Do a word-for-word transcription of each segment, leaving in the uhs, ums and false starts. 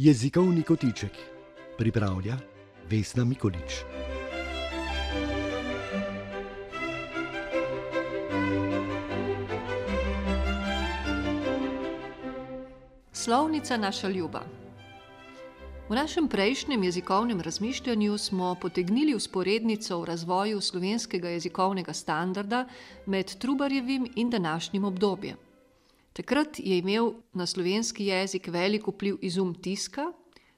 Jezikovni kotiček pripravlja Vesna Mikolič. Slovnica naša ljuba. V našem prejšnjem jezikovnem razmišljanju smo potegnili vzporednico v razvoju slovenskega jezikovnega standarda med Trubarjevim in današnjim obdobjem. Takrat je imel na slovenski jezik velik vpliv izum tiska,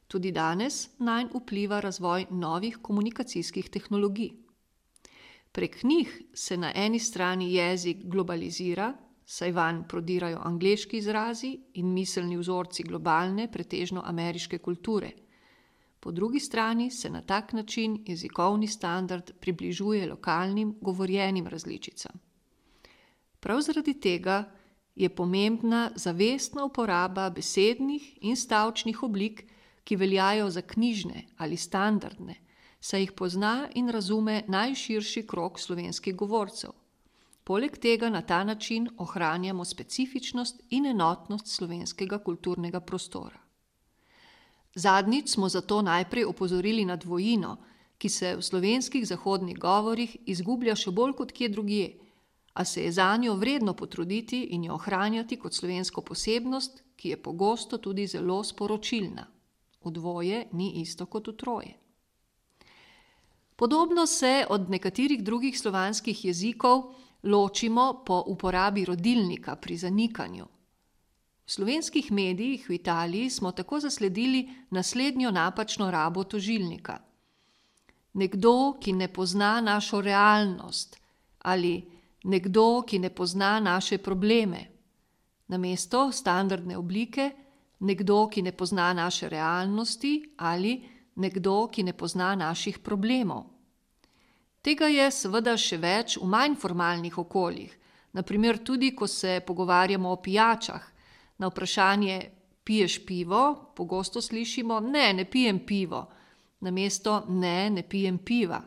tudi danes nanj vpliva razvoj novih komunikacijskih tehnologij. Prek njih se na eni strani jezik globalizira, saj vanj prodirajo angleški izrazi in miselni vzorci globalne, pretežno ameriške kulture. Po drugi strani se na tak način jezikovni standard približuje lokalnim govorjenim različicam. Prav zaradi tega je pomembna zavestna uporaba besednih in stavčnih oblik, ki veljajo za knjižne ali standardne, saj jih pozna in razume najširši krog slovenskih govorcev. Poleg tega na ta način ohranjamo specifičnost in enotnost slovenskega kulturnega prostora. Zadnjič smo zato najprej opozorili na dvojino, ki se v slovenskih zahodnih govorih izgublja še bolj kot kje drugje, a se je zanjo vredno potruditi in jo ohranjati kot slovensko posebnost, ki je pogosto tudi zelo sporočilna. V dvoje ni isto kot v troje. Podobno se od nekaterih drugih slovanskih jezikov ločimo po uporabi rodilnika pri zanikanju. V slovenskih medijih v Italiji smo tako zasledili naslednjo napačno rabo tožilnika. Nekdo, ki ne pozna našo realnost, ali nekdo, ki ne pozna naše probleme. Namesto standardne oblike nekdo, ki ne pozna naše realnosti, ali nekdo, ki ne pozna naših problemov. Tega je seveda še več v manj formalnih okoljih, naprimer tudi, ko se pogovarjamo o pijačah. Na vprašanje piješ pivo, pogosto slišimo ne, ne pijem pivo, namesto ne, ne pijem piva.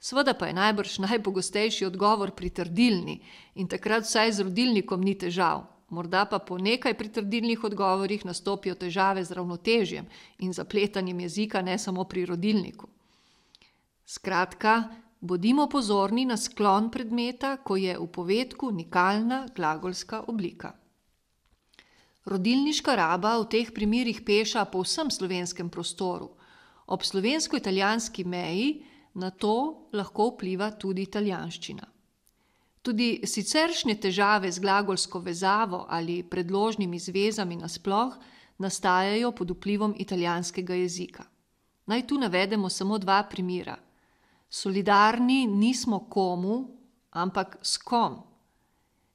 Seveda pa je najbrž najpogostejši odgovor pritrdilni in takrat vsaj z rodilnikom ni težav. Morda pa po nekaj pritrdilnih odgovorih nastopijo težave z ravnotežjem in zapletanjem jezika ne samo pri rodilniku. Skratka, bodimo pozorni na sklon predmeta, ko je v povedku nikalna glagolska oblika. Rodilniška raba v teh primerih peša po vsem slovenskem prostoru. Ob slovensko-italijanski meji na to lahko vpliva tudi italijanščina. Tudi siceršnje težave z glagolsko vezavo ali predložnimi zvezami nasploh nastajajo pod vplivom italijanskega jezika. Naj tu navedemo samo dva primera. Solidarni nismo komu, ampak s kom.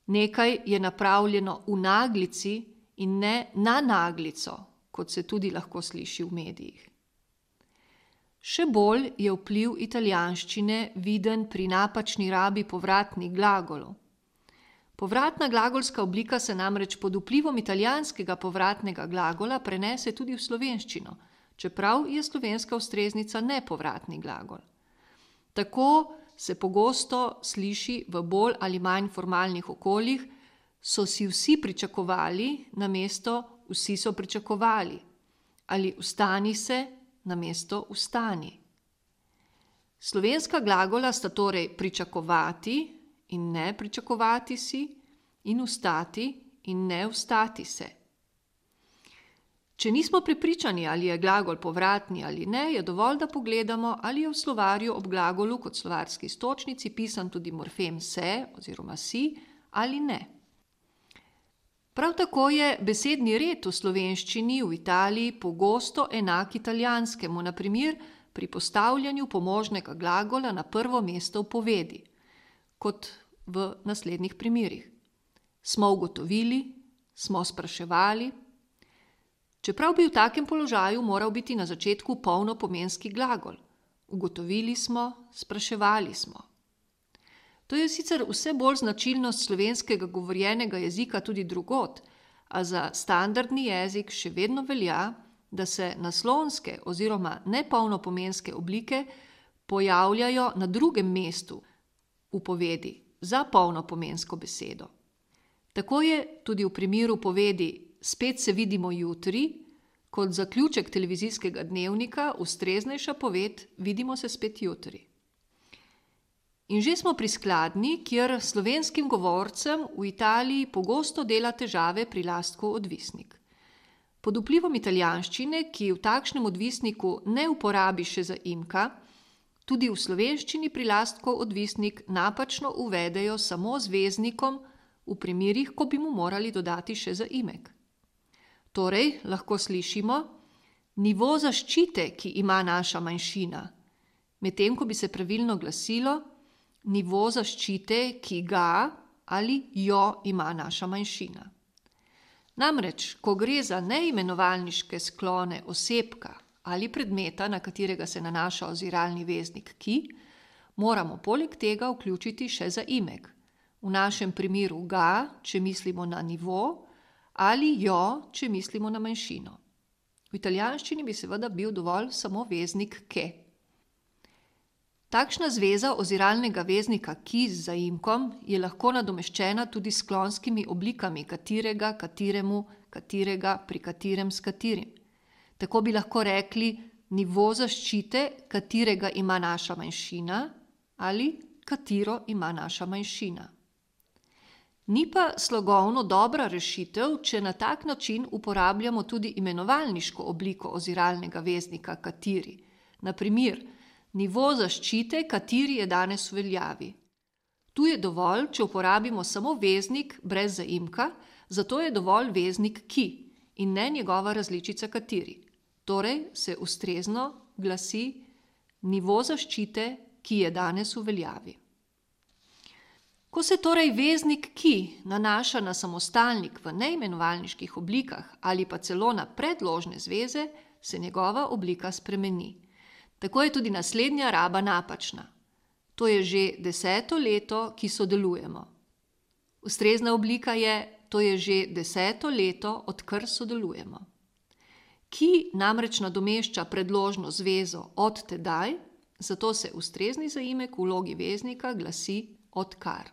Nekaj je napravljeno v naglici in ne na naglico, kot se tudi lahko sliši v medijih. Še bolj je vpliv italijanščine viden pri napačni rabi povratnih glagolov. Povratna glagolska oblika se namreč pod vplivom italijanskega povratnega glagola prenese tudi v slovenščino, čeprav je slovenska ustreznica nepovratni glagol. Tako se pogosto sliši v bolj ali manj formalnih okoljih, so si vsi pričakovali, namesto vsi so pričakovali, ali vstani se, namesto vstani. Slovenska glagola sta torej pričakovati in ne pričakovati si in vstati in ne vstati se. Če nismo prepričani, ali je glagol povratni ali ne, je dovolj, da pogledamo, ali je v slovarju ob glagolu kot slovarski iztočnici pisan tudi morfem se oziroma si ali ne. Prav tako je besedni red v slovenščini v Italiji pogosto enak italijanskemu, na primer pri postavljanju pomožnega glagola na prvo mesto v povedi, kot v naslednjih primerih. Smo ugotovili, smo spraševali. Čeprav bi v takem položaju moral biti na začetku polnopomenski glagol. Ugotovili smo, spraševali smo. To je sicer vse bolj značilnost slovenskega govorjenega jezika tudi drugod, a za standardni jezik še vedno velja, da se naslonske oziroma nepolnopomenske oblike pojavljajo na drugem mestu v povedi za polnopomensko besedo. Tako je tudi v primeru povedi spet se vidimo jutri, Kot zaključek televizijskega dnevnika, ustreznejša poved, vidimo se spet jutri. In že smo pri skladnji, kjer slovenskim govorcem v Italiji pogosto dela težave prilastku odvisnik. Pod vplivom italijanščine, ki v takšnem odvisniku ne uporabi še zaimka, tudi v slovenščini prilastkov odvisnik napačno uvedejo samo z veznikom v primerih, ko bi mu morali dodati še zaimek. Torej, lahko slišimo nivo zaščite, ki ima naša manjšina, medtem ko bi se pravilno glasilo nivo zaščite, ki ga ali jo ima naša manjšina. Namreč, ko gre za neimenovalniške sklone osebka ali predmeta, na katerega se nanaša oziralni veznik ki, moramo poleg tega vključiti še zaimek. V našem primeru ga, če mislimo na nivo, ali jo, če mislimo na manjšino. V italijanščini bi seveda bil dovolj samo veznik ke. Takšna zveza oziralnega veznika ki z zaimkom je lahko nadomeščena tudi s sklonskimi oblikami katerega, kateremu, katerega, pri katerem, s katerim. Tako bi lahko rekli nivo zaščite, katerega ima naša manjšina ali katero ima naša manjšina. Ni pa slogovno dobra rešitev, če na tak način uporabljamo tudi imenovalniško obliko oziralnega veznika kateri. Na primer, nivo zaščite, kateri je danes v veljavi. Tu je dovolj, če uporabimo samo veznik brez zaimka, zato je dovolj veznik ki in ne njegova različica kateri. Torej se ustrezno glasi nivo zaščite, ki je danes v veljavi. Ko se torej veznik ki nanaša na samostalnik v neimenovalniških oblikah ali pa celo na predložne zveze, se njegova oblika spremeni. Tako je tudi naslednja raba napačna. To je že deseto leto, ki sodelujemo. Ustrezna oblika je, to je že deseto leto, odkar sodelujemo. Ki namreč nadomešča predložno zvezo od tedaj, zato se ustrezni zaimek v vlogi veznika glasi odkar.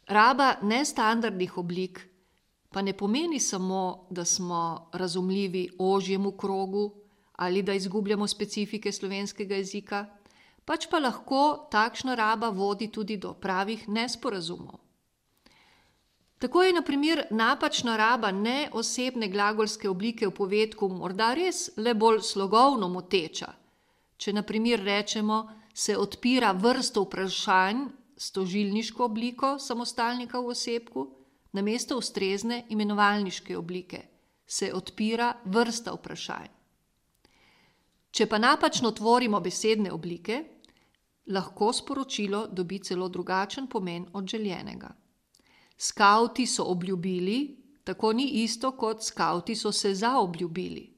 Raba nestandardnih oblik pa ne pomeni samo, da smo razumljivi ožjemu krogu ali da izgubljamo specifike slovenskega jezika, pač pa lahko takšna raba vodi tudi do pravih nesporazumov. Tako je na primer napačna raba neosebne glagolske oblike v povedku morda res le bolj slogovno moteča. Če na primer rečemo, se odpira vrsto vprašanj s tožilniško obliko samostalnika v osebku, namesto ustrezne imenovalniške oblike, se odpira vrsta vprašanj. Če pa napačno tvorimo besedne oblike, lahko sporočilo dobi celo drugačen pomen od željenega. Skavti so obljubili, tako ni isto kot skavti so se zaobljubili.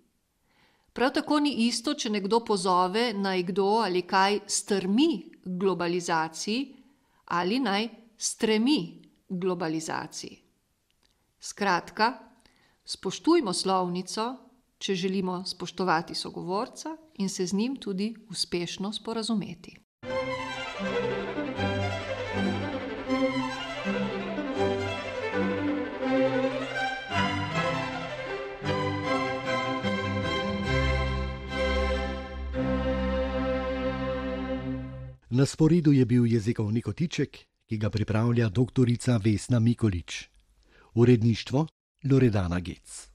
Prav tako ni isto, če nekdo pozove, naj kdo ali kaj strmi k globalizaciji ali naj stremi k globalizaciji. Skratka, spoštujmo slovnico, če želimo spoštovati sogovorca in se z njim tudi uspešno sporazumeti. Na sporedu je bil jezikovni kotiček, ki ga pripravlja doktorica Vesna Mikolič. Uredništvo Loredana Gec.